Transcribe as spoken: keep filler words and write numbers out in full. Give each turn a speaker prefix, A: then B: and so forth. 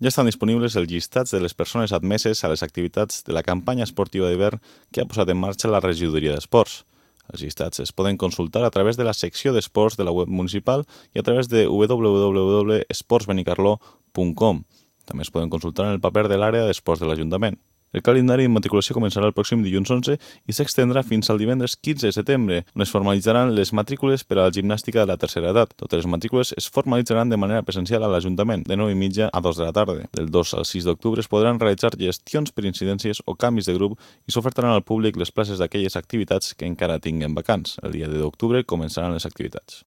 A: Ja estan disponibles els llistats de les persones admeses a les activitats de la campanya esportiva d'hivern que ha posat en marxa la regidoria d'esports. Els llistats es poden consultar a través de la secció d'esports de la web municipal i a través de w w w punt esports benicarló punt com. També es poden consultar en el paper de l'àrea d'esports de l'Ajuntament. El calendari d'immatriculació començarà el pròxim dilluns onze i s'extendrà fins al divendres quinze de setembre, on es formalitzaran les matrícules per a la gimnàstica de la tercera edat. Totes les matrícules es formalitzaran de manera presencial a l'Ajuntament, de nou i mitja a dos de la tarda. Del dos al sis d'octubre es podran realitzar gestions per incidències o canvis de grup i s'ofertaran al públic les places d'aquelles activitats que encara tinguen vacants. El dia deu d'octubre començaran les activitats.